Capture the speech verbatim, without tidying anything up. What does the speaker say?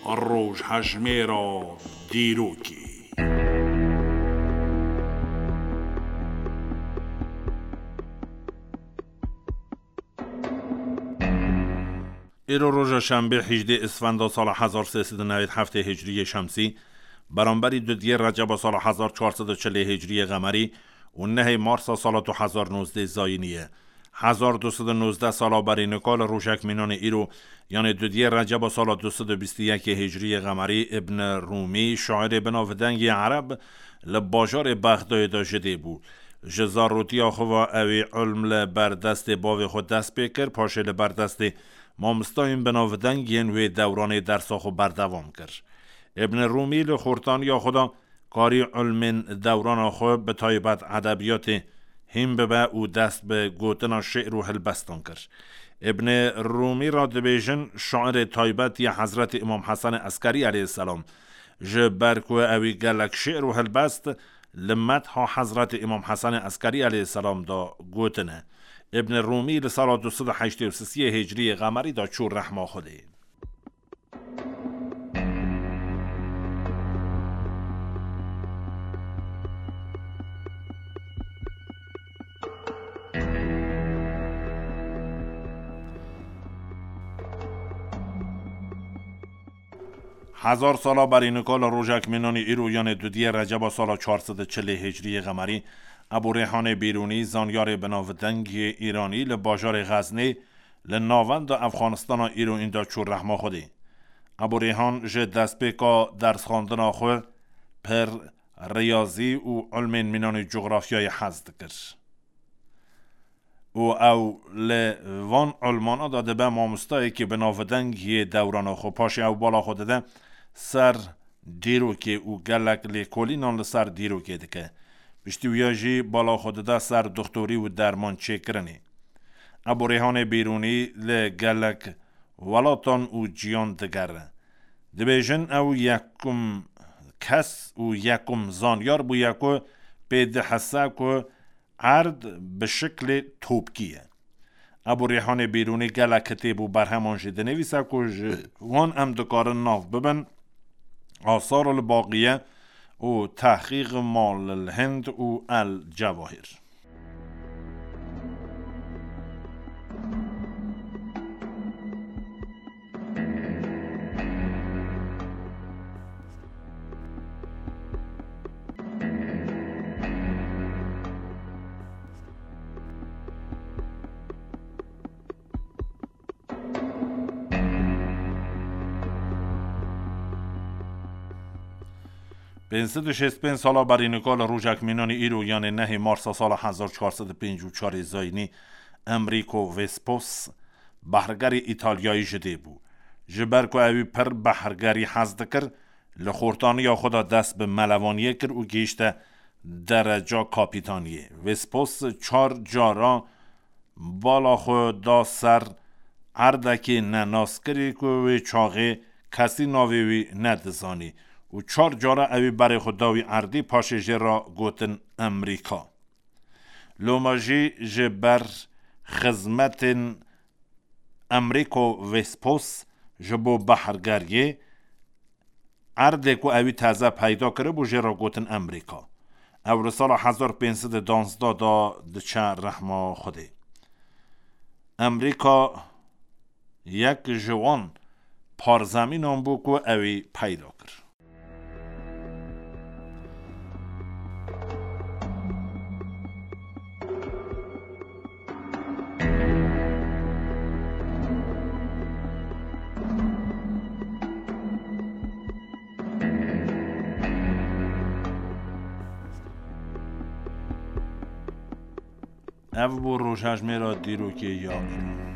Rojhejmêra dîrokê. Îro roja şembê, hejdê Îsfenda sala hezar sê sed û newêd heftê hicriyê şemsî, beramberî dudiyê Receba sala hezar çar sed û çilê hicriyê qemerî û nehê Marsa sala du hezar nozdeh zayînî ye. Hezar du sed û nozdeh sala berî nika li rojek mînanê îro, yanê dudiyê Receba sala du sed û bîst û yekê hicriyê qemerî, Ibn Rûmî, şairê binavdengê ereb, li bajarê Bexdayê de ji dê bû. Ji zarotiya xwe ve ewî ilm li ber destê bavê xwe dest pê kir, paşê li ber destê mamostayên binavdeng yên wê dewranê dersa xwe berdewam kir. Ibn Rûmî li xortaniya xwe de karî ilmên dewrana xwe, bi taybet edebiyatê, hîn bibe û dest bi gotina şi'r û hilbestan kir. Ibn Rûmî re dibêjin şairê taybet ya Hezretî Îmam Hesenê Eskerî aleyhisselam, ji ber ku ewî gelek şi'r û hilbest li metha Hezretî Îmam Hesenê Eskerî aleyhisselam de gotine. Ibn Rûmî li sala du sed û heştê û sisiyê hicriyê qemerî de çû rehma Xwedê. Hezar sala berî nika li rojek mînanî îro, yanê dudiyê Receba sala çar sed û çilê hicriyê qemerî, Ebû Rêhanê Bîrûnî, zanyarê binavdeng yê Îranî, li bajarê Xeznê, li navenda Efxanistana îro, înda çû rehma Xwedê. Ebû Rêhan ji destpêka dersxwendina xwe pir riyazî û ilmên mînanî cografyayê hez dikir. Û ew li van ilmana de dibe mamostayekî binavdeng yê dewrana xwe. Paşê ew bala xwe dide ser dîrokê û gelek lêkolînan li ser dîrokê dike. Piştî wiya jî bala xwe dide ser doxtorî û derman çêkirinê. Ebû Rêhanê Bîrûnî li gelek welatan û ciyan digere. Dibêjin ew yekum kes û yekum zanyar bûye ku pê dihese ku erd bi şiklê topkî ye. Ebû Rêhanê Bîrûnî gelek kitêb û berheman jî dinivîse ku ji wan em dikarin nav bibin: Asar el Baqiye û Tehqîq Mal el Hind û El Cewahir. Pênc sed û şêst pênc sala berî nika li rojek mînanî îro, yanê nehê Marsa sala hezar çar sed û pêncî û çarê zayînî, Enrico Vespos, behrgerê Îtalyayî ji dê bû. Ji ber ku ewî pir behrgerî hez dikir, li xortaniya xwe de dest bi melevaniyê kir û gihîşte dereca kapîtaniyê. Vespos çar cara bala xwe da ser erdekê nenaskirî ku wê çaxê kesî navê wî nedizanî û çar cara ewî berê xwe da wî erdî, paşê jê re gotin Emerîka. Loma jî ji ber xizmetên Enrico Vespos ji bo behrgeriyê, erdê ku ewî teze peyda kiribû, jê re gotin Emerîka. Ew li sala hezar pênc sed û duwazdeh de diçe rehma Xwedê. Emerîka yek ji wan parzemînan bû ku ewî peyda kir. Ev bû rojhejmêra dîrokê ya îro.